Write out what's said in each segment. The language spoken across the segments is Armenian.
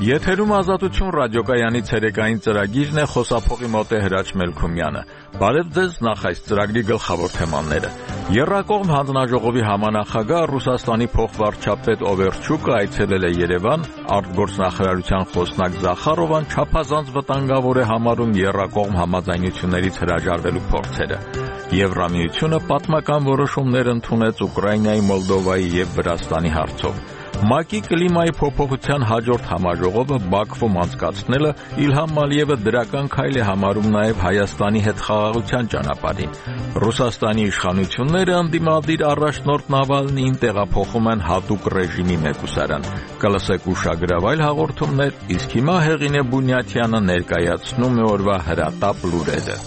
Եթերում Ազատություն ռադիոկայանի ցերեկային ծրագիրն է, խոսափողի մոտ է Հրաչ Մելքումյանը։ Բարև ձեզ, նախ այս ծրագրի գլխավոր թեմաները։ Եռակողմ հանձնաժողովի համանախագահ Ռուսաստանի փոխվարչապետ Օվերչուկը այցելել է Երևան, արտգործնախարարության խոսնակ Զախարովան չափազանց վտանգավոր է համարում եռակողմ համաձայնություններից հրաժարվելու փորձերը։ Եվրամիությունը պատմական որոշումներ ընդունեց Ուկրաինայի, Մոլդովայի եւ Վրաստանի հարցով։ ՄԱԿ-ի կլիմայի փոփոխության հաջորդ համաժողովը Բաքվում անցկացնելը Իլհամ Ալիևը դրական քայլ է համարում նաև Հայաստանի հետ խաղաղության ճանապարհին։ Ռուսաստանի իշխանությունները ընդդիմադիր առաջնորդ Նավալնիին տեղափոխում են հատուկ ռեժիմի մեկուսարան։ Կլսեք ուշագրավ այլ հաղորդումներ, իսկ հիմա Հեղինե Բունյաթյանը ներկայացնում է օրվա հրատապ լուրերը։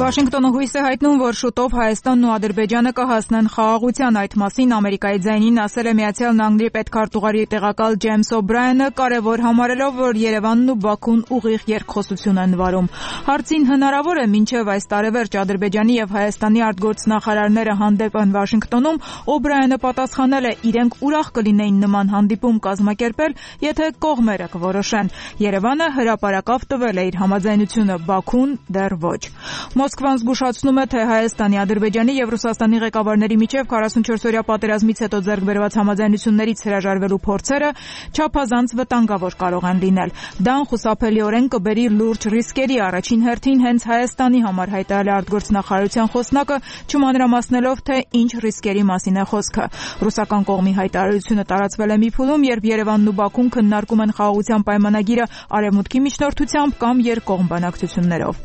Վաշինգտոնը հույս է հայտնում, որ շուտով Հայաստանն ու Ադրբեջանը կհասնեն խաղաղության։ Այդ մասին Ամերիկայի ձայնին ասել է Միացյալ Նահանգների պետքարտուղարի տեղակալ Ջեյմս Օբրայանը, կարևոր համարելով, որ Երևանն ու Բաքուն ուղիղ երկխոսություն են վարում։ Հարցին հնարավոր է մինչև այս տարեվերջ Ադրբեջանի եւ Հայաստանի արտգործնախարարները հանդեպ են Վաշինգտոնում, Օբրայանը պատասխանել է, իրենք ուրախ կլինեին նման հանդիպում կազմակերպել, եթե կողմերը կորոշեն։ Երևանը հրապարակավ տվել է իր համաձայնությունը, Բաքուն դեռ ոչ։ Մոսկվան զգուշացնում է, թե Հայաստանի, Ադրբեջանի եւ Ռուսաստանի ղեկավարների միջև 44-օրյա պատերազմից հետո ձեռք բերված համաձայնություններից հրաժարվելու փորձերը չափազանց վտանգավոր կարող են լինել։ Դա անխուսափելիորեն կբերի լուրջ ռիսկերի, առաջին հերթին հենց Հայաստանի համար հայտարարել է արտգործնախարարության խոսնակը, չմանրամասնելով, թե ինչ ռիսկերի մասին է խոսքը։ Ռուսական կողմի հայտարարությունը տարածվել է մի փուլում, երբ Երևանն ու Բաքուն քննարկում են խաղաղության պայմանագիրը Արևմուտքի միջնորդությամբ կամ երկկողմ բանակցություններով։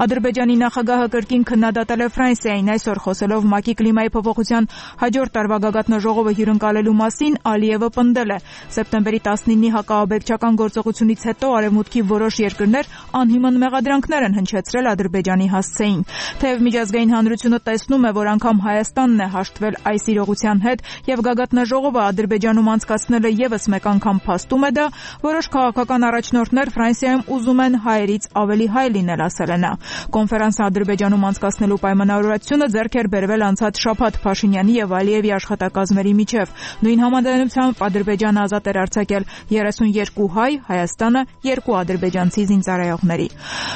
Ադրբեջանի նախագահը կրկին քննադատել է Ֆրանսիային, այսօր խոսելով ՄԱԿ-ի կլիմայի փոփոխության հաջորդ տարվա գագաթնաժողովը հյուրընկալելու մասին, Ալիևը պնդել է. սեպտեմբերի 19-ի հակաաբեկչական գործողությունից հետո Արևմուտքի որոշ երկրներ անհիմն մեղադրանքներ են հնչեցրել Ադրբեջանի հասցեին։ Թեև միջազգային հանրությունը տեսնում է, որ անգամ Հայաստանն է հաշտվել այս իրողության հետ եւ գագաթնաժողովը Ադրբեջանում անցկացնելը եւս մեկ անգամ փաստում է դա, որոշ քաղաքական առաջնորդներ Ֆրանսիայում ուզում են հայերից ավելի հայ լինել, ասել է նա։ Կոնֆերանսը Ադրբեջանում անցկացնելու պայմանավորվածությունը ձեռք էր բերվել անցած շաբաթ Փաշինյանի եւ Ալիևի աշխատակազմերի միջև։ Նույն համաձայնությամբ Ադրբեջանը ազատ էր արձակել 32 հայ, Հայաստանը 2 ադրբեջանցի զինծառայողների։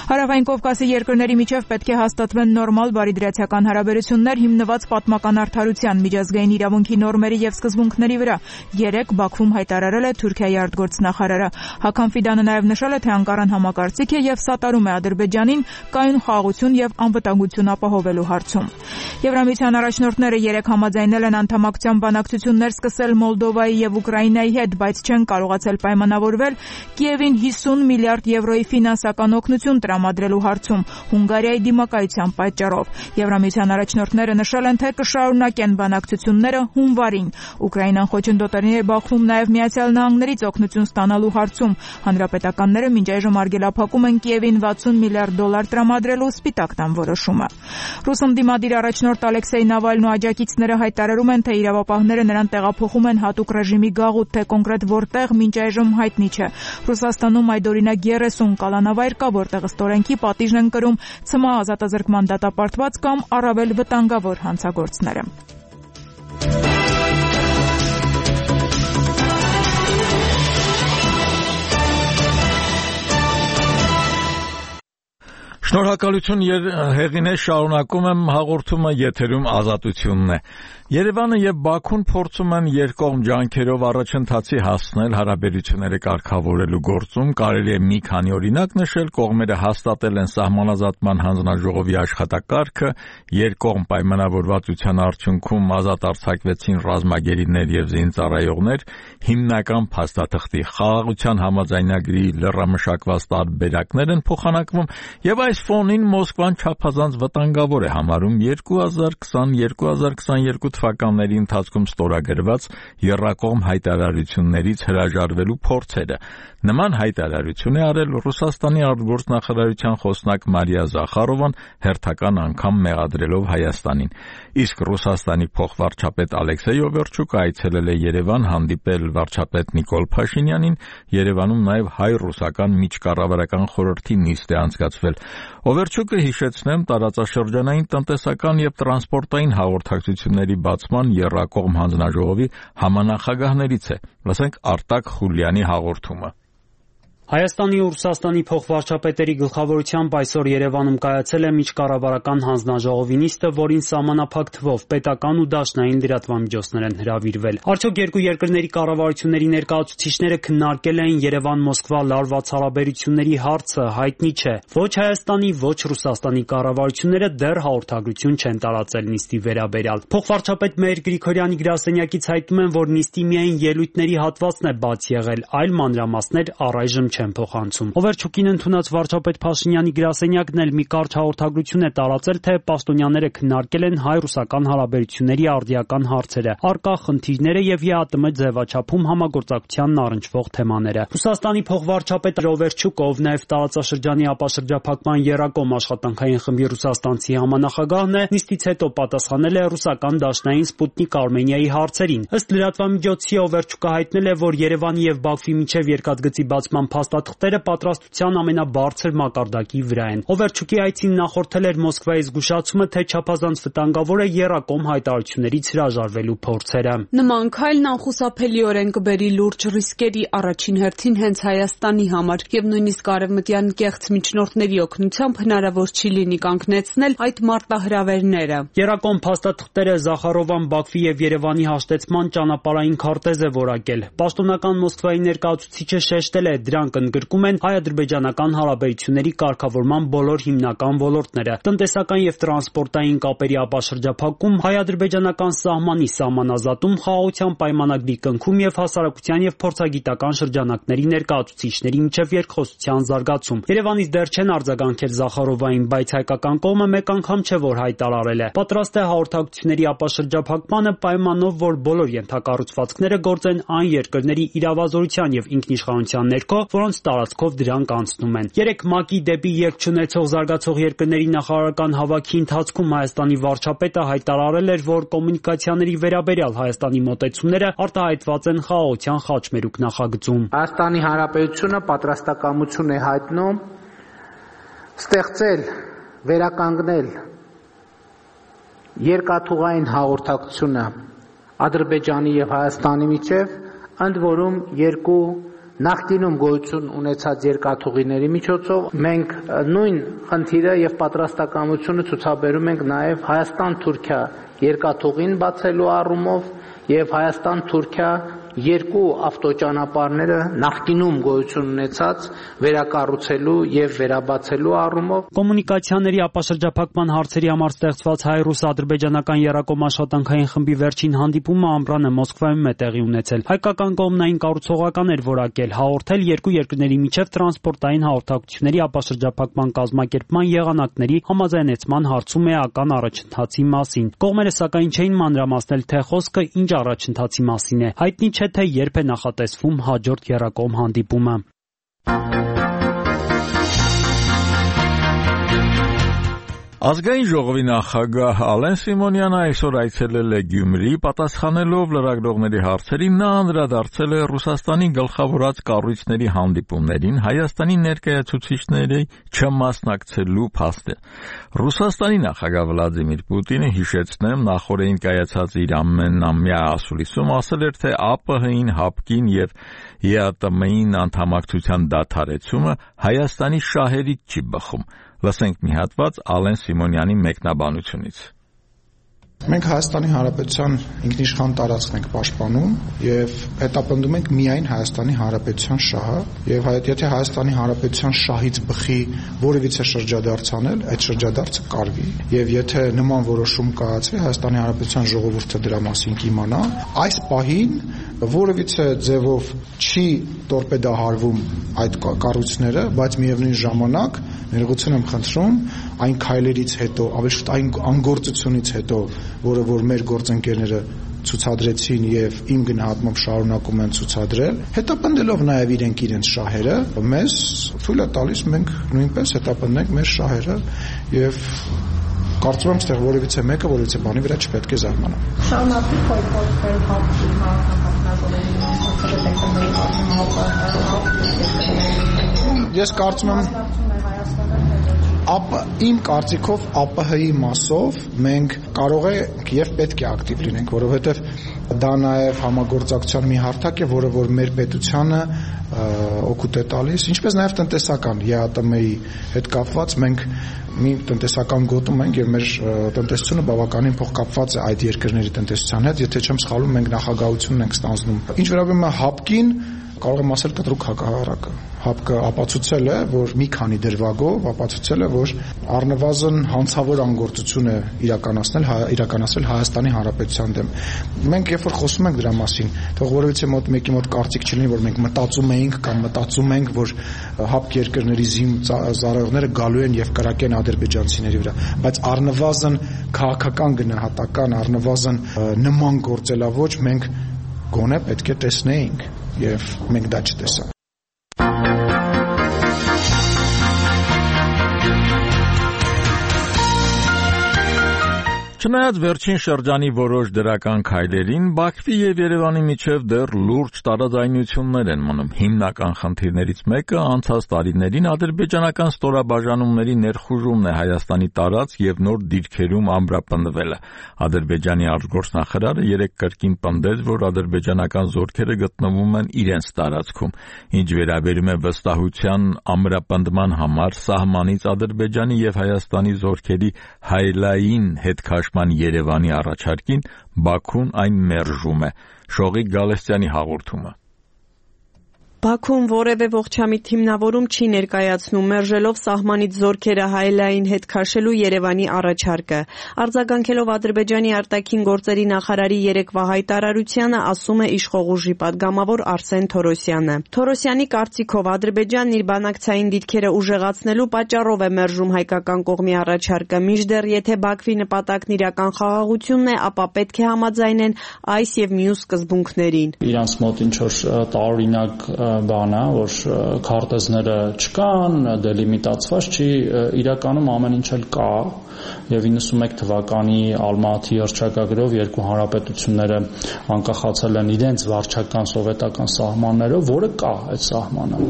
Հարավային Կովկասի երկրների միջև պետք է հաստատվեն նորմալ բարիդրացիական հարաբերություններ հիմնված պատմական արդարության, միջազգային իրավունքի նորմերի եւ սկզբունքների վրա, երեկ Բաքվում հայտարարել է Թուրքիայի արտգործնախարարը։ Հական Ֆիդանը նաեւ նշել է, թե Անկարան համակարծիք է եւ սատարում է Ադրբեջանին կայուն խաղաղություն եւ անվտանգություն ապահովելու հարցում։ Եվրամիության առաջնորդները երեք համաձայնել են անդամակցության բանակցություններ սկսել Մոլդովայի եւ Ուկրաինայի հետ, բայց չեն կարողացել պայմանավորվել Կիևին 50 միլիարդ եվրոյի ֆինանսական օգնություն տրամադրելու հարցում Հունգարիայի դիմակայության պատճառով։ Եվրամիության առաջնորդները նշել են, թե կշարունակեն բանակցությունները հունվարին։ Ուկրաինան խոչընդոտել է Բաքվում նաեւ Միացյալ Նահանգներից օգնություն ստանալու հարցում։ Հանրապետականները մինչ այժմ արգելափակում են Կիևին 60 միլիարդ դոլար տրամադրելու Սպիտակ տան որոշումը։ Ռուս ընդդիմադիր առաջնորդ Ալեքսեյ Նավալնն ու աջակիցները հայտարարում են, թե իրավապահները նրան տեղափոխում են հատուկ ռեժիմի գաղութ, թե կոնկրետ որտեղ մինչ այժմ հայտնի չէ։ Ռուսաստանում այդօրինակ 30 կալանավայր կա, որտեղ ստորենքի պատիժն են կրում ՑՄԱ ազատազրկման դատապարտված կամ առավել վտանգավոր հանցագործները։ Շնորհակալություն Հեղինե, շարունակում եմ հաղորդումը, եթերում Ազատությունն է։ Երևանը եւ Բաքուն փորձում են երկկողմ ջանքերով առաջընթացի հասնել հարաբերությունները կարգավորելու գործում։ Կարելի է մի քանի օրինակ նշել, կողմերը հաստատել են սահմանազատման հանձնաժողովի աշխատակարգը, երկկողմ պայմանավորվածության արդյունքում ազատ արձակվեցին ռազմագերիներ եւ զինծառայողներ, հիմնական փաստաթղթի խաղաղության համաձայնագրի լրամշակված տարբերակներ են փոխանակվում եւ այս ֆոնին Մոսկվան չափազանց վտանգավոր է համարում 2020-2022 թվականների ընթացքում ստորագրված եռակողմ հայտարարություններից հրաժարվելու փորձերը։ Նման հայտարարություն է արել Ռուսաստանի արտգործնախարարության խոսնակ Մարիա Զախարովան, հերթական անգամ մեղադրելով Հայաստանին։ Իսկ Ռուսաստանի փոխվարչապետ Ալեքսեյ Օվերչուկը այցելել է Երևան հանդիպել վարչապետ Նիկոլ Փաշինյանին։ Երևանում նաև հայ-ռուսական միջկառավարական խորհրդի նիստ է անցկացվել։ Օվերչուկը հիշեցնեմ տարածաշրջանային տնտեսական եւ տրանսպորտային հաղորդակցությունների բացման եռակողմ հանձնաժողովի համանախագահներից է։ Լսենք Արտակ Խուլյանի հաղորդումը։ Հայաստանի ու Ռուսաստանի փոխվարչապետերի գլխավորությամբ այսօր Երևանում կայացել է միջկառավարական հանձնաժողովի նիստը, որին սահմանափակ թվով պետական ու դաշնային լրատվամիջոցներ են հրավիրվել։ Արդյոք երկու երկրների կառավարությունների ներկայացուցիչները քննարկել էին Երևան-Մոսկվա լարված հարաբերությունների հարցը, հայտնի չէ։ Ոչ Հայաստանի, ոչ Ռուսաստանի կառավարությունները դեռ հաղորդագրություն չեն տարածել նիստի վերաբերյալ։ Փոխվարչապետ Մհեր Գրիգորյանի գրասենյակից հայտնում են, որ նիստի միայն ելույթների հատվածն է բաց եղել, այլ մանրամասներ առայժմ չեն փոխանցում։ Օվերչուկին ընդունած վարչապետ Փաշինյանի գրասենյակն էլ մի կարճ հաղորդագրություն է տարածել, թե պաշտոնյաները քննարկել են հայ-ռուսական հարաբերությունների արդիական հարցերը, առկա խնդիրները եւ ԵԱՏՄ ձևաչափում համագործակցությանն առնչվող թեմաները։ Ռուսաստանի փոխվարչապետ Օվերչուկը, ով նաեւ տարածաշրջանի ապաշրջափակման եռակողմ աշխատանքային խմբի ռուսաստանցի համանախագահն է, նիստից հետո պատասխանել է ռուսական դաշնային Սպուտնիկ Արմենիայի հարցերին։ Ըստ լրատվամիջոցի Օվերչուկը հայտնել է, որ Երևանի եւ Բաքվի միջև երկաթգծի բացման փաստաթղթերը պատրաստության ամենաբարձր մակարդակի վրա են։ Օվերչուկի այցին նախորդել էր Մոսկվայի զգուշացումը, թե չափազանց վտանգավոր է եռակողմ հայտարարություններից հրաժարվելու փորձերը։ Նման քայլն անխուսափելիորեն կբերի լուրջ ռիսկերի առաջին հերթին հենց Հայաստանի համար եւ նույնիսկ արևմտյան կեղծ միջնորդների օգնությամբ հնարավոր չի լինի կանգնեցնել այդ մարտահրավերները։ Եռակողմ փաստաթղթերը Զախարովան Բաքվի եւ Երևանի հաշտեցման ճանապարհային քարտեզ է որակել։ Պաշտոնական Մոսկվայի ներկայացուցիչը շեշտել է, դրանք ընդգրկում են հայ-ադրբեջանական հարաբերությունների կարգավորման բոլոր հիմնական ոլորտները, տնտեսական եւ տրանսպորտային կապերի ապաշրջափակում, հայ-ադրբեջանական սահմանի սահմանազատում, խաղաղության պայմանագրի կնքում եւ հասարակության եւ փորձագիտական շրջանակների ներկայացուցիչների միջև երկխոսության զարգացում։ Երևանից դեռ չեն արձագանքել Զախարովային, բայց հայկական կողմը մեկ անգամ չէ, որ հայտարարել է։ Պատրաստ է հաղորդակցությունների ապաշրջափակմանը պայմանով, որ բոլոր ենթակառուցվածքները գործեն այն երկրների իրավազորության եւ ինքնիշխանության ներքո, որոնց տարածքով դրանք անցնում են։ Երեք ՄԱԿ-ի դեպի ելք չունեցող զարգացող երկրների նախարարական հավաքի ընթացքում Հայաստանի վարչապետը հայտարարել էր, որ կոմունիկացիաների վերաբերյալ Հայաստանի մոտեցումները արտահայտված են խաղաղության խաչմերուկ նախագծում։ Հայաստանի Հանրապետությունը պատրաստակամություն է հայտնում ստեղծել, վերականգնել երկաթուղային հաղորդակցությունը Ադրբեջանի եւ Հայաստանի միջև, ընդ որում երկու նախկինում գոյություն ունեցած երկաթուղիների միջոցով մենք նույն խնդիրը եւ պատրաստակամությունը ցուցաբերում ենք նաեւ Հայաստան-Թուրքիա երկաթուղին բացելու առումով եւ Հայաստան-Թուրքիա երկու ավտոճանապարհները նախկինում գոյություն ունեցած վերակառուցելու եւ վերաբացելու առումով կոմունիկացիաների ապաշրջափակման հարցերի համար ստեղծված հայ-ռուս-ադրբեջանական եռակողմ աշխատանքային խմբի վերջին հանդիպումը ամռանը Մոսկվայում է տեղի ունեցել։ Հայկական կողմն այն կառուցողական էր որակել, հաղորդել երկու երկրների միջև տրանսպորտային հաղորդակցությունների ապաշրջափակման կազմակերպման եղանակների համաձայնեցման հարցում էական առաջընթացի մասին։ Կողմերը սակայն չէին մանրամասնել, թե խոսքը ինչ առաջընթացի մասին է։ Հայտնի չէ, թե երբ է նախատեսվում հաջորդ եռակողմ հանդիպումը։ Ազգային ժողովի նախագահ Ալեն Սիմոնյանը այսօր այցելել է Գյումրի, պատասխանելով լրագրողների հարցերին նա անդրադարձել է Ռուսաստանի գլխավորած կառույցների հանդիպումներին Հայաստանի ներկայացուցիչների չմասնակցելու փաստը։ Ռուսաստանի նախագահ Վլադիմիր Պուտինը, հիշեցնեմ, նախորդին կայացած իր ամենամյա ասուլիսում ասել էր, թե ԱՊՀ-ին, ՀԱՊԿ-ին եւ ԵԱՏՄ-ին անդամակցության դադարեցումը Հայաստանի շահերից չի բխում։ Լսենք մի հատված Ալեն Սիմոնյանի մեկնաբանությունից։ Մենք Հայաստանի Հանրապետության ինքնիշխան տարածքն ենք պաշտպանում եւ հետապնդում ենք միայն Հայաստանի Հանրապետության շահը եւ եթե Հայաստանի Հանրապետության շահից բխի որևիցե շրջադարձ անել, այդ շրջադարձը կարվի եւ եթե նման որոշում կայացվի, Հայաստանի Հանրապետության ժողովուրդը դրա մասին կիմանա, այս պահին որևիցե ձևով չի տորպեդահարվում այդ կառույցները, բայց միևնույն ժամանակ ներողություն եմ խնդրում այն քայլերից հետո, ավելի շուտ այն անգործությունից հետո, որը որ մեր գործընկերները ցուցադրեցին եւ իմ գնահատմամբ շարունակում են ցուցադրել, հետապնդելով նաեւ իրենց շահերը, մեզ թույլ է տալիս մենք նույնպես հետապնդենք մեր շահերը եւ կարծում եմ, որ որևիցե մեկը որևիցե բանի վրա չպետք է զարմանա։ Շարունակվի փոփոխել հապկի Ես կարծում եմ Իմ կարծիքով ԱՊՀ-ի մասով մենք կարող ենք եւ պետք է ակտիվ լինենք, որովհետեւ դա նաեւ համագործակցության մի հարթակ է, որը որ մեր պետությանը օգուտ է տալիս, ինչպես նաեւ տնտեսական ԵԱՏՄ-ի հետ կապված մենք մի տնտեսական գոտում ենք եւ մեր տնտեսությունը բավականին փոխկապված է այդ երկրների տնտեսության հետ, եթե չեմ սխալվում, մենք նախագահությունն ենք ստանձնում։ Ինչ վերաբերում է ՀԱՊԿ-ին, կարող եմ ասել կտրուկ հակառակը։ ՀԱՊԿ-ը ապացուցել է, որ մի քանի դրվագով ապացուցել է, որ առնվազն հանցավոր անգործություն է իրականացել Հայաստանի Հանրապետության դեմ։ Մենք երբ որ խոսում ենք դրա մասին, թող որևիցե մեկի մոտ կարծիք չլինի, որ մենք մտածում էինք կամ մտածում ենք, որ ՀԱՊԿ երկրների զինծառայողները գալու են եւ կրակեն ադրբեջանցիների վրա, բայց առնվազն քաղաքական գնահատական, առնվազն նման գործելավոճ մենք գոնե պետք է տեսնեինք եւ մենք դա չտեսանք։ Չնայած վերջին շրջանի որոշ դրական քայլերին, Բաքվի եւ Երևանի միջև դեռ լուրջ տարաձայնություններ են մնում։ Հիմնական խնդիրներից մեկը անցած տարիներին ադրբեջանական ստորաբաժանումների ներխուժումն է Հայաստանի տարածք եւ նոր դիրքերում ամրապնդվելը։ Ադրբեջանի արտգործնախարարը երեկ կրկին պնդեց, որ ադրբեջանական զորքերը գտնվում են իրենց տարածքում։ Ինչ վերաբերում է վստահության ամրապնդման համար սահմանից Ադրբեջանի եւ Հայաստանի զորքերի հայլային հետքաշման Երևանի առաջարկին, Բաքուն այն մերժում է։ Շողիկ Գալստյանի հաղորդումը։ Բաքուն որևէ ողջամիտ հիմնավորում չի ներկայացնում, մերժելով սահմանից զորքերը հայլային հետ քաշելու Երևանի առաջարկը։ Արձագանքելով Ադրբեջանի արտաքին գործերի նախարարի երեկվա հայտարարությանը, ասում է իշխող ուժի падգամավոր Արսեն Թորոսյանը։ Թորոսյանի կարծիքով Ադրբեջանն իր բանակցային դիրքերը ուժեղացնելու պատճառով է մերժում հայկական կողմի առաջարկը, մինչդեռ եթե Բաքվի նպատակն իրական խաղաղությունն է, ապա պետք է համաձայնեն այս եւ մյուս սկզբունքներին։ Իրանց մոտ ինչ որ տարօրինակ բան է, որ քարտեզները չկան, դելիմիտացված չի, իրականում ամեն ինչ էլ կա եւ 91 թվականի Ալմատի հռչակագրով երկու հանրապետությունները անկախացել են իրենց վարչական սովետական սահմաններով, որը կա այդ սահմանը։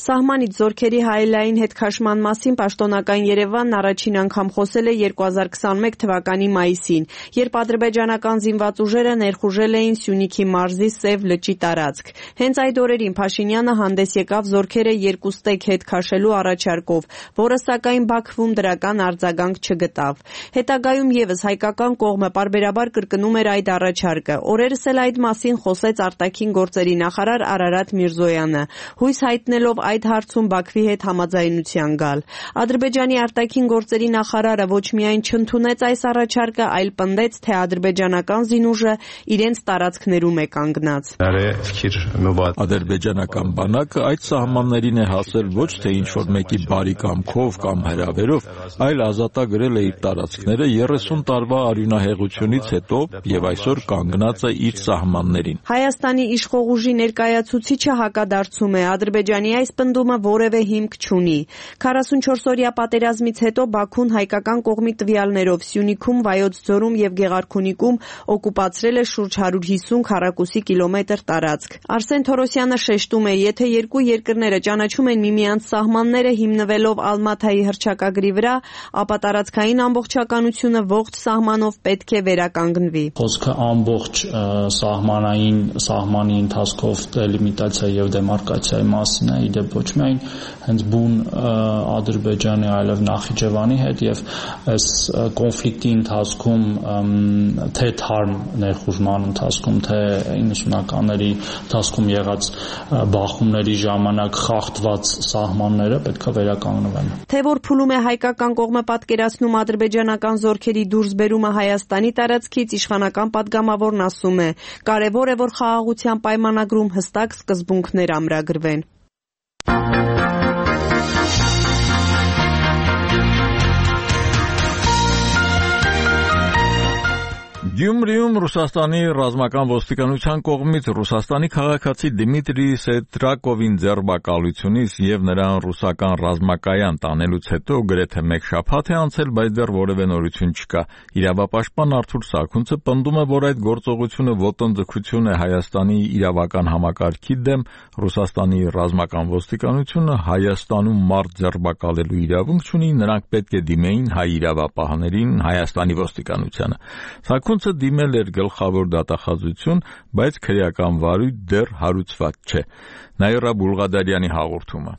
Սահմանից զորքերի հայլային հետքաշման մասին պաշտոնական Երևանն առաջին անգամ խոսել է 2021 թվականի մայիսին, երբ ադրբեջանական զինված ուժերը ներխուժել էին Սյունիքի մարզի Սև լճի տարածք։ Հենց այդ օրերին Փաշինյանը հանդես եկավ զորքերը երկու ստեկ հետ քաշելու առաջարկով, որը սակայն Բաքվում դրական արձագանք չգտավ։ Հետագայում եւս հայկական կողմը պարբերաբար կրկնում էր այդ առաջարկը։ Օրերս էլ այդ մասին խոսեց արտաքին գործերի նախարար Արարատ Միրզոյանը, հույս հայտնելով այդ հարցում Բաքվի հետ համաձայնության գալ։ Ադրբեջանի արտաքին գործերի նախարարը ոչ միայն չընդունեց այս առաջարկը, այլ պնդեց, թե ադրբեջանական զինուժը իրենց տարածքներում է կանգնած։ Ադրբեջանական բանակը այդ սահմաններին է հասել ոչ թե ինչ-որ մեկի բարի կամքով կամ հրավերով, այլ ազատագրել է իր տարածքները 30 տարվա արյունահեղությունից հետո եւ այսօր կանգնած է իր սահմաններին։ Հայաստանի իշխող ուժի ներկայացուցիչը հակադարձում է, Ադրբեջանի այս պնդումը որևէ հիմք չունի։ 44-օրյա պատերազմից հետո Բաքուն հայկական կողմի տվյալներով Սյունիքում, Վայոց ձորում եւ Գեղարքունիքում օկուպացրել է շուրջ 150 քառակուսի կիլոմետր տարածք։ Արսեն Թորոսյանը շեշտում է, եթե երկու երկրները ճանաչում են միմյանց սահմանները հիմնվելով Ալմաթայի հռչակագրի վրա, ապա տարածքային ամբողջականությունը ողջ սահմանով պետք է վերականգնվի։ Խոսքը ամբողջ սահմանի ընթացքով դելիմիտացիա եւ դեմարկացիայի մասին է, իդեպ ոչ միայն հենց բուն Ադրբեջանի, այլև Նախիջևանի հետ եւ այս կոնֆլիկտի ընթացքում թե թարմ ներխուժման ընթացքում, թե 90-ականների ընթացքում եղած բախումների ժամանակ խախտված սահմանները պետք է վերականգնվեն։ Թե որ փուլում է հայկական կողմը պատկերացնում ադրբեջանական զորքերի դուրսբերումը Հայաստանի տարածքից, իշխանական падգամավորն ասում է, կարևոր է, որ խաղաղության պայմանագրում հստակ սկզբունքներ ամրագրվեն։ Գյումրիում Ռուսաստանի ռազմական ոստիկանության կողմից Ռուսաստանի քաղաքացի Դիմիտրի Սետրակովին ձերբակալությունից եւ նրան ռուսական ռազմակայան տանելուց հետո գրեթե մեկ շաբաթ է անցել, բայց դեռ որևէ նորություն չկա։ Իրավապաշտպան Արթուր Սարգունցը պնդում է, որ այդ գործողությունը ոտնձգություն է Հայաստանի իրավական համակարգի դեմ։ Ռուսաստանի ռազմական ոստիկանությունը Հայաստանում մարդ ձերբակալելու իրավունք չունի, նրանք պետք է դիմեին հայ իրավապահներին, Հայաստանի ոստիկանությանը։ Սարգունցը դիմել էր գլխավոր դատախազություն, բայց քրեական վարույթ դեռ հարուցված չէ։ Նաիրա Բուլղադարյանի հաղորդումը։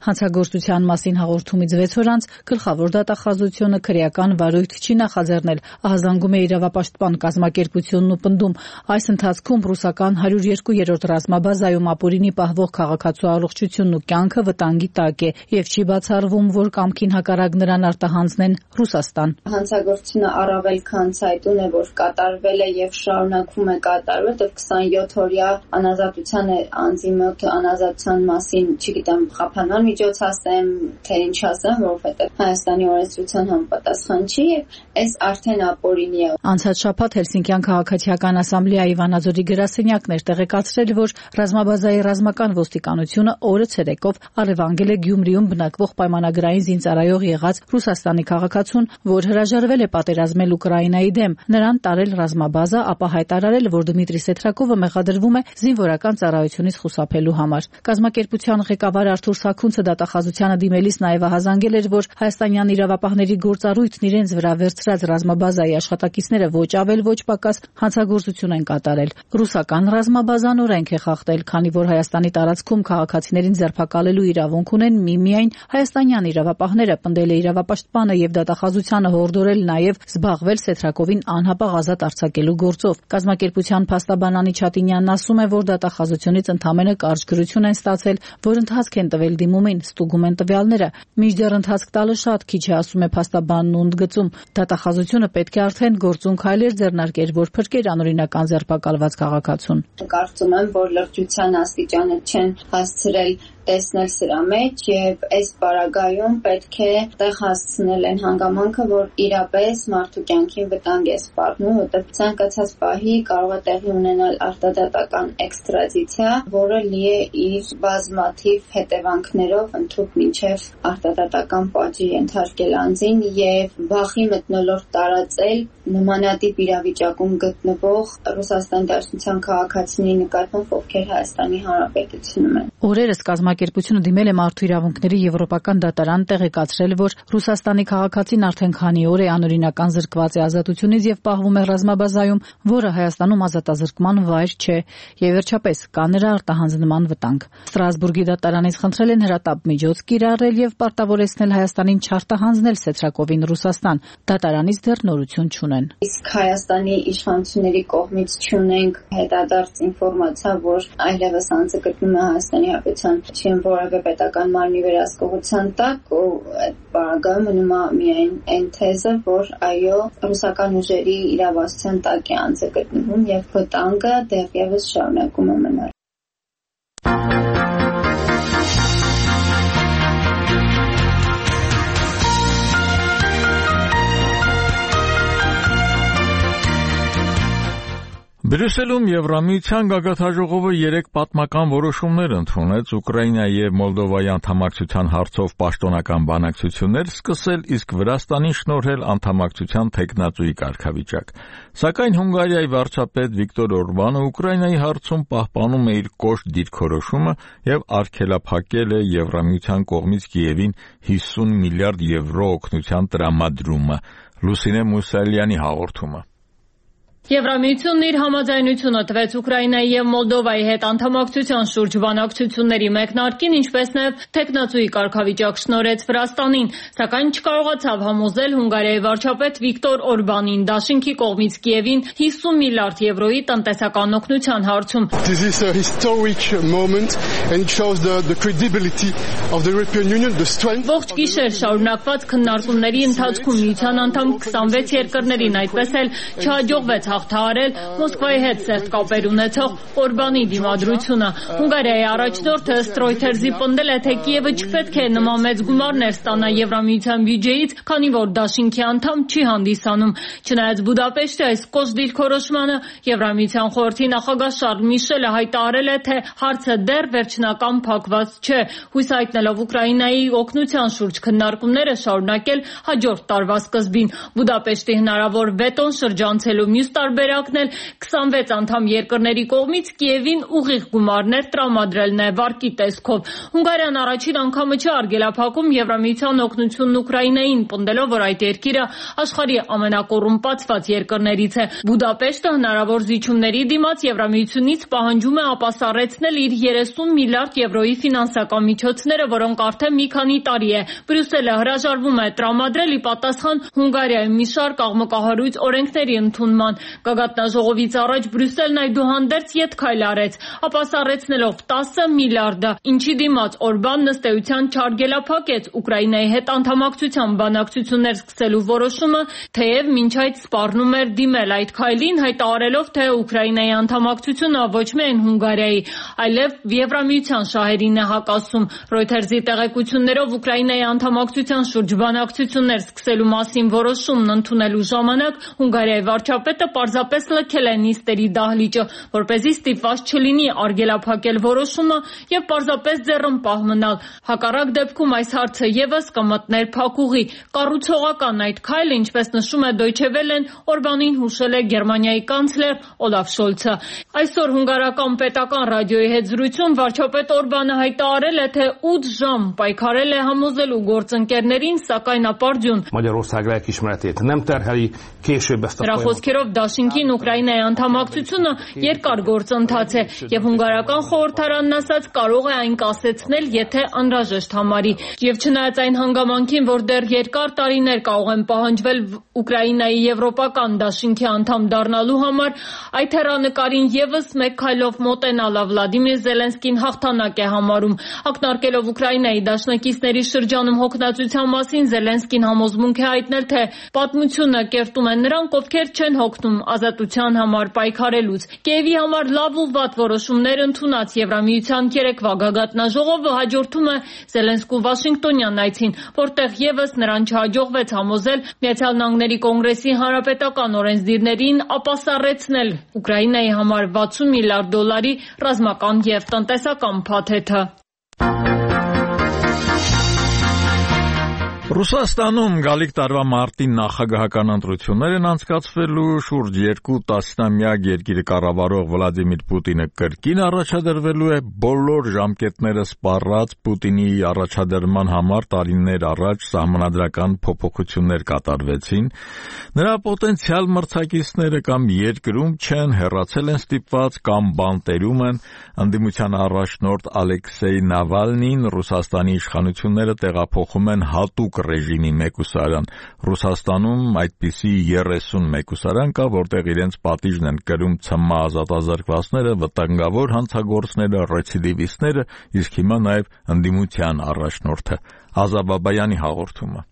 Հանցագործության մասին հաղորդումից 6 օր անց գլխավոր դատախազությունը քրեական վարույթ չի նախաձեռնել, ահազանգում է իրավապաշտպան կազմակերպությունն ու պնդում, այս ընթացքում ռուսական 102-րդ ռազմաբազայում ապօրինի պահվող քաղաքացու առողջությունն ու կյանքը վտանգի տակ է եւ չի բացառվում, որ կամքին հակառակ նրան արտահանձնեն Ռուսաստան։ Հանցագործությունը առավել քան ցայտուն է, որ կատարվել է եւ շարունակվում է կատարվել, դեռ 27-օրյա անազատության անձի մոտ անազատության մասին, չգիտեմ, խափանան միջոց ասեմ, թե ինչ ասեմ, որովհետև Հայաստանի օրենսդրության համապատասխան չի եւ այս արդեն ապօրինի է։ Անցած շաբաթ Հելսինկյան քաղաքացիական ասամբլեայի Վանաձորի գրասենյակն էր տեղեկացրել, որ ռազմաբազայի ռազմական ոստիկանությունը օրը ցերեկով առևանգել է Գյումրիում բնակվող պայմանագրային զինծառայող եղած Ռուսաստանի քաղաքացուն, որ հրաժարվել է պատերազմել Ուկրաինայի դեմ, նրան տարել ռազմաբազա, ապա հայտարարել, որ Դմիտրի Սետրակովը մեղադրվում է զինվորական ծառայությունից խուսափելու համար։ Կազմակերպության ղեկավար Արթուր Սարգունցը դատախազությանը դիմելիս նաև ահազանգել էր, որ հայաստանյան իրավապահների գործառույթն իրենց վրա վերցրած ռազմաբազայի աշխատակիցները ոչ ավել ոչ պակաս հանցագործություն են կատարել։ Ռուսական ռազմաբազան օրենք է խախտել, քանի որ Հայաստանի տարածքում քաղաքացիներին ձերբակալելու իրավունք ունեն միմիայն հայաստանյան իրավապահները, պնդել է իրավապաշտպանը եւ դատախազությանը հորդորել նաև զբաղվել Սետրակովին անհապաղ ազատ արձակելու գործով։ Կազմակերպության փաստաբան Անի Չատինյանն ասում է, որ դատախազությունից ընդամենը կարճ գրություն են ստացել, որ ընթացք են տվել դիմումին, ստուգում են տվյալները։ Մինչդեռ ընթացք տալը շատ քիչ է, ասում է փաստաբանն ու ընդգծում։ Դատախազությունը պետք է արդեն գործուն քայլեր ձեռնարկեր, որ փրկեր անօրինական ձերբակալված քաղաքացուն։ Կարծում եմ, որ լրջության աստիճանը չեն հասցրել տեսնել սրա մեջ եւ այս պարագայում պետք է տեղ հասցնել են հանգամանքը, որ իրապես մարդու կյանքին վտանգ է սպառնում, որտեղ ցանկացած պահի կարող է տեղի ունենալ արտադատական էքստրադիցիա, որը լի է իր բազմաթիվ հետևանքներով, ընդհանուր մինչև արտադատական պատժի ենթարկել անձին եւ վախի մթնոլորտ տարածել նմանատիպ իրավիճակում գտնվող Ռուսաստանի Դաշնության քաղաքացիների նկատմամբ, ովքեր Հայաստանի Հանրապետությունում են։ Օրերս կազմակերպությունը դիմել է Մարդու իրավունքների Եվրոպական դատարան, տեղեկացրել, որ Ռուսաստանի քաղաքացին արդեն քանի օր է անօրինական զրկված է ազատությունից եւ պահվում է ռազմաբազայում, որը Հայաստանում ազատազրկման վայր չէ, եւ վերջապես կա նրա արտահանձնման վտանգ։ Ստրասբուրգի դատարանից խնդրել են հրատապ միջոց կիրառել եւ պարտավորեցնել Հայաստանին չարտահանձնել Սետրակովին Ռուսաստան։ Դատարանից դեռ նորություն չունեն։ Իսկ Հայաստանի իշխանությունների կողմից չունենք հետադարձ ինֆորմացիա, որ այլևս անձը գտնվում է Հայաստանի Հանրապետության չեմ որևէ պետական մարմնի վերահսկողության տակ, ու այդ բaragայում մնում է միայն այն թեզը, որ այո, ռուսական ուժերի իրավասության տակ է անձը գտնվում եւ վտանգը դեռևս շարունակում է մնալ։ Բրյուսելում Եվրամիության գագաթաժողովը 3 պատմական որոշումներ ընդունեց Ուկրաինայի եւ Մոլդովայի անդամակցության հարցով պաշտոնական բանակցություններ սկսել, իսկ Վրաստանին շնորհել անդամակցության թեկնածուի կարգավիճակ։ Սակայն Հունգարիայի վարչապետ Վիկտոր Օրբանը Ուկրաինայի հարցում պահպանում է իր կոշտ դիրքորոշումը եւ արգելափակել է Եվրամիության կողմից Կիևին 50 միլիարդ եվրո օգնության տրամադրումը։ Լուսինե Մուսալյանի հաղորդումը։ Եվրամիությունն իր համաձայնությունը տվեց Ուկրաինայի եւ Մոլդովայի հետ անդամակցության շուրջ բանակցությունների մեկնարկին, ինչպես նաեւ թեկնածուի կարգավիճակ շնորհեց Վրաստանին, սակայն չկարողացավ համոզել Հունգարիայի վարչապետ Վիկտոր Օրբանին Դաշինքի կողմից Կիևին 50 միլիարդ եվրոյի տնտեսական օգնության հարցում։ This is a historic moment and it shows the credibility of the European Union, the strength. Ողջ գիշեր շարունակված քննարկումների ընթացքում միության անդամ 26 երկրներին այդպես էլ չհաջողվեց հաղթահարել Մոսկվայի հետ սերտ կապեր ունեցող Օրբանի դիմադրությունը։ Հունգարիայի առաջնորդը Reuters-ի պնդել է, թե Կիևը չպետք է նման մեծ գումարներ ստանա Եվրամիության բյուջեից, քանի որ դաշինքի անդամ չի հանդիսանում։ Չնայած Բուդապեշտի այս կոշտ դիրքորոշմանը, Եվրամիության խորհրդի նախագահ Շարլ Միշելը հայտարարել է, թե հարցը դեռ վերջնական փակված չէ, հույս հայտնելով Ուկրաինայի օգնության շուրջ քննարկումները շարունակել հաջորդ տարվա սկզբին։ Բուդապեշտի հնարավոր վետոն շրջանցելու մյուս տարբերակն էլ 26 անդամ երկրների կողմից Կիևին ուղիղ գումարներ տրամադրելն է վարկի տեսքով։ Հունգարիան առաջին անգամը չի արգելափակում Եվրամիության օգնությունն Ուկրաինային, պնդելով, որ այդ երկիրը աշխարհի ամենակոռումպացված երկրներից է։ Բուդապեշտը հնարավոր զիջումների դիմաց Եվրամիությունից պահանջում է ապասառեցնել իր 30 միլիարդ եվրոյի ֆինանսական միջոցները, որոնք արդեն մի քանի տարի է Բրյուսելը հրաժարվում է տրամադրել ի պատասխան Հունգարիայում մի շարք աղմկահարույց օրենքների ընդունման։ Գագաթնաժողովից առաջ Բրյուսելն այդուհանդերձ ետքայլ արեց, ապասառեցնելով 10 միլիարդը, ինչի դիմաց Օրբանն ըստ էության չարգելափակեց Ուկրաինայի հետ անդամակցության բանակցություններ սկսելու որոշումը, թեև մինչ այդ սպառնում էր դիմել այդ քայլին, հայտարարելով, թե Ուկրաինայի անդամակցությունը ոչ միայն Հունգարիայի, այլև Եվրամիության շահերին է հակասում։ Reuters-ի տեղեկություններով Ուկրաինայի անդամակցության շուրջ բանակցություններ սկսելու մասին որոշումն ընդունելու ժամանակ Հունգարիայի վարչապետը պարզապես լքել է նիստերի դահլիճը, որպեսզի ստիպված չլինի արգելափակել որոշումը եւ պարզապես ձեռնպահ մնալ։ Հակառակ դեպքում այս հարցը եւս կմտներ փակուղի։ Կառուցողական այդ քայլը, ինչպես նշում է Deutsche Welle-ն, Օրբանին հուշել է Գերմանիայի կանցլեր Օլաֆ Շոլցը։ Այսօր հունգարական պետական ռադիոյի հետ զրույցում վարչապետ Օրբանը հայտարարել է, թե 8 ժամ պայքարել է համոզելու գործընկերներին, սակայն ապարդյուն։ Նրա խոսքերով դաշինքին Ուկրաինայի անդամակցությունը երկար գործընթաց է եւ հունգարական խորհրդարանն ասաց կարող է այն կասեցնել, եթե անհրաժեշտ համարի։ Եվ չնայած այն հանգամանքին, որ դեռ երկար տարիներ կարող են պահանջվել Ուկրաինայի եվրոպական դաշինքի անդամ դառնալու համար, այդ հեռանկարին եւս մեկ քայլով մոտենալը Վլադիմիր Զելենսկին հաղթանակ է համարում։ Ակնարկելով Ուկրաինայի դաշնակիցների շրջանում հոգնածության մասին, Զելենսկին համոզմունք է հայտնել, թե պատմությունը կերտում են նրանք, ովքեր չեն հոգնում ազատության համար պայքարելուց։ Կիևի համար լավ ու վատ որոշումներ ընդունած Եվրամիության երեկվա գագաթնաժողովը հաջորդում է Զելենսկու Վաշինգտոնյան այցին, որտեղ եւս նրան չհաջողվեց համոզել Միացյալ Նահանգների Կոնգրեսի հանրապետական օրենսդիրներին ապասառեցնել Ուկրաինայի համար 60 միլիարդ դոլարի ռազմական եւ տնտեսական փաթեթը։ Ռուսաստանում գալիք տարվա մարտին նախագահական ընտրություններ են անցկացվելու, շուրջ 2 տասնամյակ երկիրը կառավարող Վլադիմիր Պուտինը կրկին առաջադրվելու է, բոլոր ժամկետները սպառած Պուտինի առաջադրման համար տարիներ առաջ սահմանադրական փոփոխություններ կատարվեցին, նրա պոտենցիալ մրցակիցները կամ երկրում չեն, հեռացել են ստիպված կամ բանտերում են, ընդդիմության առաջնորդ Ալեքսեյ Նավալնին Ռուսաստանի իշխանությունները տեղափոխում են հատուկ ռեժիմի մեկուսարան։ Ռուսաստանում այդպիսի 30 մեկուսարան կա, որտեղ իրենց պատիժն են կրում ՑՄ ազատազրկվածները, վտանգավոր հանցագործները, ռեցիդիվիստները, իսկ հիմա նաև ընդդիմության առաջնորդը։ Ազա Բաբայանի հաղորդումը։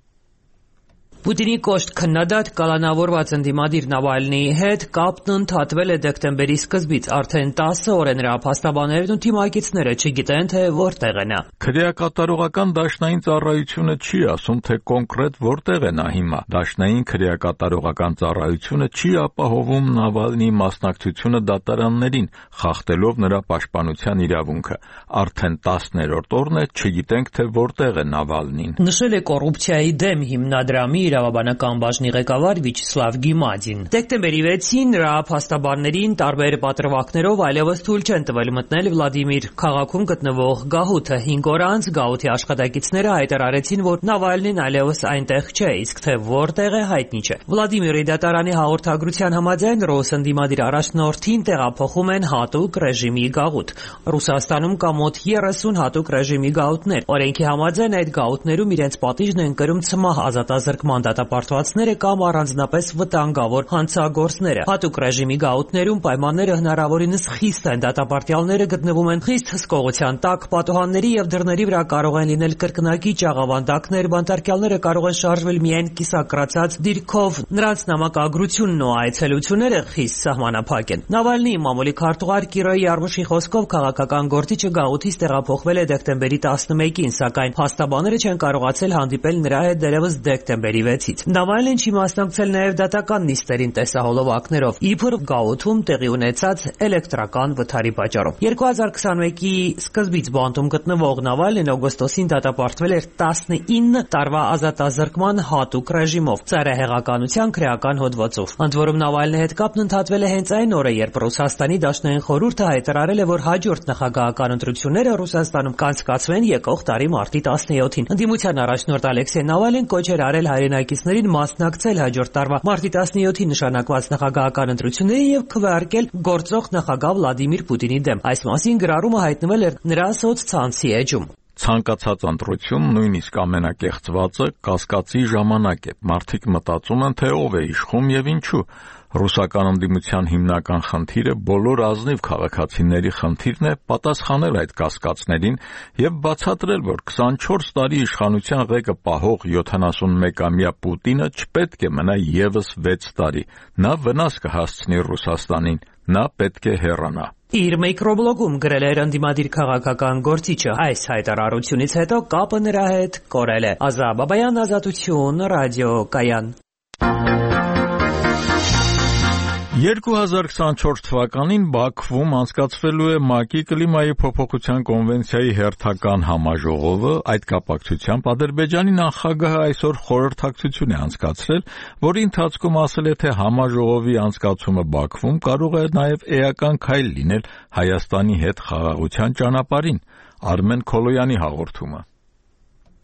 Պուտինի կոշտ քննադատ կալանավորված ընդդիմադիր Նավալնիի հետ կապն ընդհատվել է դեկտեմբերի սկզբից, արդեն 10 օր է նրա փաստաբաններն ու թիմակիցները չգիտեն, թե որտեղ է նա։ Քրեակատարողական դաշնային ծառայությունը չի ասում, թե կոնկրետ որտեղ է նա հիմա։ Դաշնային քրեակատարողական ծառայությունը չի ապահովում Նավալնիի մասնակցությունը դատարաններին, խախտելով նրա պաշտպանության իրավունքը։ Արդեն 10-րդ օրն է, չգիտենք, թե որտեղ է Նավալնին։ Նշել է կոռուպցիայի դեմ հիմնադրամի իրավաբանական բաժնի ղեկավար Վիչսլավ Գիմադին։ Դեկտեմբերի 6-ին նրա փաստաբաններին տարբեր պատրվակներով այլևս թույլ չեն տվել մտնել Վլադիմիր քաղաքում գտնվող գահութը։ 5 օր անց գահութի աշխատակիցները հայտարարեցին, որ Նավալնին այլևս այնտեղ չէ, իսկ թե որտեղ է հայտնի չէ։ Վլադիմիրի դատարանի հաղորդագրության համաձայն ռուս ընդդիմադիր առաջնորդին տեղափոխում են հատուկ ռեժիմի գաղութ։ Ռուսաստանում կա մոտ 30 հատուկ ռեժիմի գաղութներ։ Օրենքի համաձայն այդ գաղութներում իրենց պատիժն են կրում ՑՄ ազատազրկման նման դատապարտվածները կամ առանձնապես վտանգավոր հանցագործները։ Հատուկ ռեժիմի գաղութներում պայմանները հնարավորինս խիստ են, դատապարտյալները գտնվում են խիստ հսկողության տակ, պատուհանների եւ դռների վրա կարող են լինել կրկնակի ճաղավանդակներ, բանտարկյալները կարող են շարժվել միայն կիսակրացած դիրքով, նրանց նամակագրությունն ու այցելությունները խիստ սահմանափակ են։ Նավալնիի մամուլի քարտուղար Կիրո Յարմուշի խոսքով քաղաքական գործիչը գաղութից տեղափոխվել է դեկտեմբերի 11-ին, սակայն փաստաբանները չեն կարողացել հանդիպել նրա հետ դեռևս դեկտեմբերի 6-ից։ Նավալնին չի մասնակցել նաև դատական նիստերին տեսահոլովակներով, իբր գաղութում տեղի ունեցած էլեկտրական վթարի պատճառով։ 2021-ի սկզբից բանտում գտնվող Նավալնին օգոստոսին դատապարտվել էր 19 տարվա ազատազրկման հատուկ ռեժիմով ծայրահեղականության քրեական հոդվածով։ Ընդ որում Նավալնի հետ կապն ընդհատվել է հենց այն օրը, երբ Ռուսաստանի Դաշնային խորհուրդը հայտարարել է, որ հաջորդ նախագահական ընտրությունները Ռուսաստանում կանցկացվեն եկող տարի մարտի 17-ին։ Ընդդիմության առաջնորդ Ալեքսեյ Նավալին կոչ էր արել հայրենակիցներին մասնակցել հաջորդ տարվա մարտի 17-ին նշանակված նախագահական ընտրություններին եւ քվեարկել գործող նախագահ Վլադիմիր Պուտինի դեմ։ Այս մասին գրառումը հայտնվել էր նրա սոցցանցի էջում։ Ցանկացած ընտրություն, նույնիսկ ամենակեղծվածը, կասկածի ժամանակ է։ Մարդիկ մտածում են, թե ով է իշխում եւ ինչու։ Ռուսական ընդդիմության հիմնական խնդիրը բոլոր ազնիվ քաղաքացիների խնդիրն է պատասխանել այդ կասկածներին եւ բացատրել, որ 24 տարի իշխանության ղեկը պահող 71-ամյա Պուտինը չպետք է մնա եւս 6 տարի։ Նա վնաս կհասցնի Ռուսաստանին, նա պետք է հեռանա։ Իր միկրոբլոգում գրել էր ընդդիմադիր քաղաքական գործիչը։ Այս հայտարարությունից հետո կապը նրա հետ կորել է։ Ազա Բաբայան, Ազատություն, ռադիոկայան։ 2024 թվականին Բաքվում անցկացվելու է ՄԱԿ-ի կլիմայի փոփոխության կոնվենցիայի հերթական համաժողովը։ Այդ կապակցությամբ Ադրբեջանի նախագահը այսօր խորհրդակցություն է անցկացրել, որի ընթացքում ասել է, թե համաժողովի անցկացումը Բաքվում կարող է նաև էական քայլ լինել Հայաստանի հետ խաղաղության ճանապարհին։ Արմեն Քոլոյանի հաղորդումը։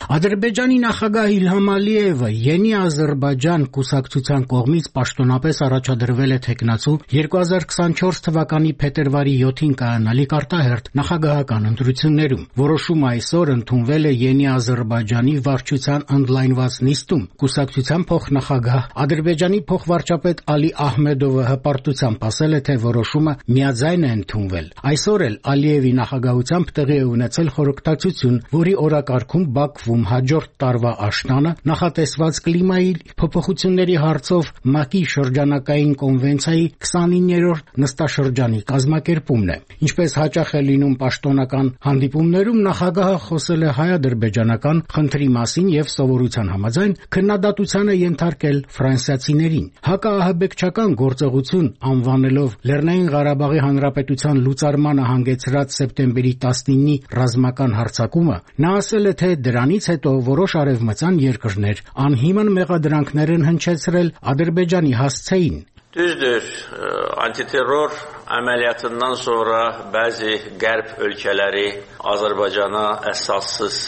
Ադրբեջանի նախագահ Իլհամ Ալիևը Յենի Ադրբեջան կուսակցության կողմից պաշտոնապես առաջադրվել է թեկնածու 2024 թվականի փետրվարի 7-ին կայանալիք արտահերթ նախագահական ընտրություններում։ Որոշումը այսօր ընդունվել է Յենի Ադրբեջանի վարչության ընդլայնված նիստում։ Կուսակցության փոխնախագահ Ադրբեջանի փոխվարչապետ Ալի Ահմեդովը հպարտությամբ ասել է, թե որոշումը միաձայն է ընդունվել։ Այսօր էլ Ալիևի նախագահությամբ տեղի է ունեցել խորհրդակցություն, որի օրակարգում Բաքվում հաջորդ տարվա աշնանը նախատեսված կլիմայի փոփոխությունների հարցով ՄԱԿ-ի շրջանակային կոնվենցիայի 29-րդ նստաշրջանի կազմակերպումն է։ Ինչպես հաճախ է լինում պաշտոնական հանդիպումներում, նախագահը խոսել է հայ-ադրբեջանական խնդրի մասին եւ սովորության համաձայն քննադատության է ենթարկել ֆրանսիացիներին։ Հակաահաբեկչական գործողություն անվանելով Լեռնային Ղարաբաղի Հանրապետության լուծարմանը հանգեցրած սեպտեմբերի 19-ի ռազմական հարձակումը, նա ասել է, թե դրանից հետո որոշ արևմտյան երկրներ անհիմն մեղադրանքներ են հնչեցրել Ադրբեջանի հասցեին։ Düzdür, antiterror əməliyyatından sonra bəzi qərb ölkələri Azərbaycana əsassız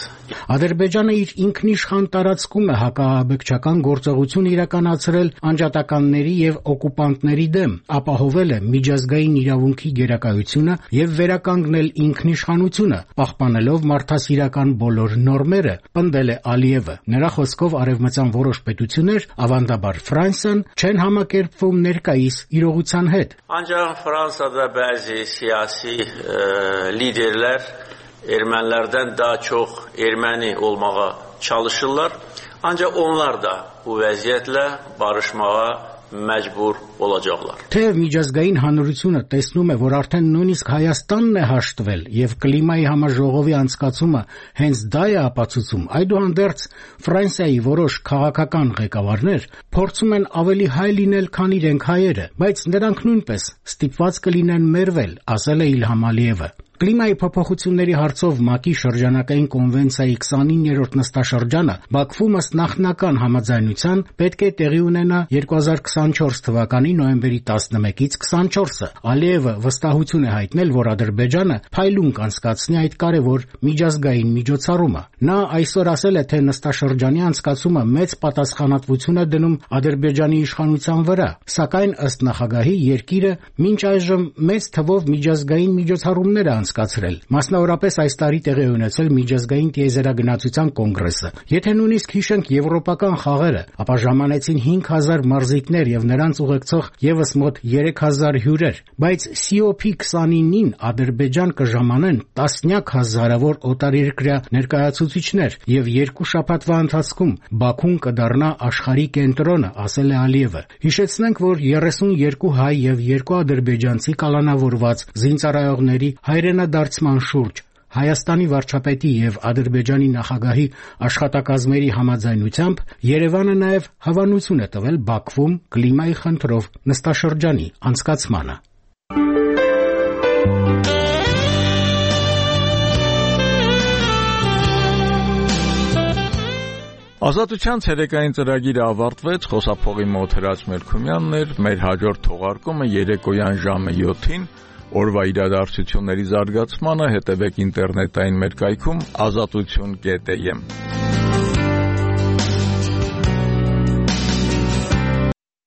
Ադրբեջանը իր ինքնիշխան տարածքում է հակաահաբեկչական գործողություն իրականացրել անջատականների եւ օկուպանտների դեմ, ապահովել է միջազգային իրավունքի գերակայությունը եւ վերականգնել ինքնիշխանությունը, պահպանելով մարդասիրական բոլոր նորմերը, պնդել է Ալիևը։ Նրա խոսքով արևմտյան որոշ պետություններ, ավանդաբար Ֆրանսիան, չեն համակերպվում ներկայիս իրողության հետ։ Ancaq Fransada bəzi siyasi liderlər ermənilərdən daha çox erməni olmağa çalışırlar. Ancaq onlar da bu vəziyyətlə barışmağa məcbur olacaqlar։ Թեև միջազգային հանրությունը տեսնում է, որ արդեն նույնիսկ Հայաստանն է հաշտվել եւ կլիմայի համաժողովի անցկացումը հենց դա է ապացուցում, այդուհանդերձ Ֆրանսիայի որոշ քաղաքական ղեկավարներ փորձում են ավելի հայ լինել, քան իրենք հայերը, բայց նրանք նույնպես ստիպված կլինեն մերվել, ասել է Իլհամ Ալիևը։ Կլիմայի փոփոխությունների հարցով ՄԱԿ-ի շրջանակային կոնվենցիայի 29-րդ նստաշրջանը Բաքվում ըստ նախնական համաձայնության պետք է տեղի ունենա 2024 թվականի նոյեմբերի 11-ից 24-ը։ Ալիևը վստահություն է հայտնել, որ Ադրբեջանը փայլուն կանցկացնի այդ կարևոր միջազգային միջոցառումը։ Նա այսօր ասել է, թե նստաշրջանի անցկացումը մեծ պատասխանատվություն է դնում Ադրբեջանի իշխանության վրա, սակայն ըստ նախագահի երկիրը մինչ այժմ մեծ թվով միջազգային միջոցառումներ է անցկացրել։ Մասնավորապես այս տարի տեղի ունեցել միջազգային տիեզերագնացության կոնգրեսը։ Եթե նույնիսկ հիշենք եվրոպական խաղերը, ապա ժամանեցին 5000 մարզիկներ եւ նրանց ուղեկցող եւս մոտ 3000 հյուրեր, բայց COP29-ին Ադրբեջան կժամանեն տասնյակ հազարավոր օտարերկրյա ներկայացուցիչներ եւ 2 շաբաթվա ընթացքում Բաքուն կդառնա աշխարհի կենտրոնը, ասել է Ալիևը։ Հիշեցնենք, որ 32 հայ եւ 2 ադրբեջանցի կալանավորված զինծառայողների հայրենադարձման շուրջ Հայաստանի վարչապետի եւ Ադրբեջանի նախագահի աշխատակազմերի համաձայնությամբ Երևանը նաեւ հավանություն է տվել Բաքվում կլիմայի խնդրով նստաշրջանի անցկացմանը։ Ազատության ցերեկային ծրագիրը ավարտվեց, խոսափողի մոտ Հրաչ Մելքումյանն էր, մեր հաջորդ թողարկումը երեկոյան ժամը 7-ին, օրվա իրադարձությունների զարգացմանը հետևեք ինտերնետային մեր կայքում azatutun.am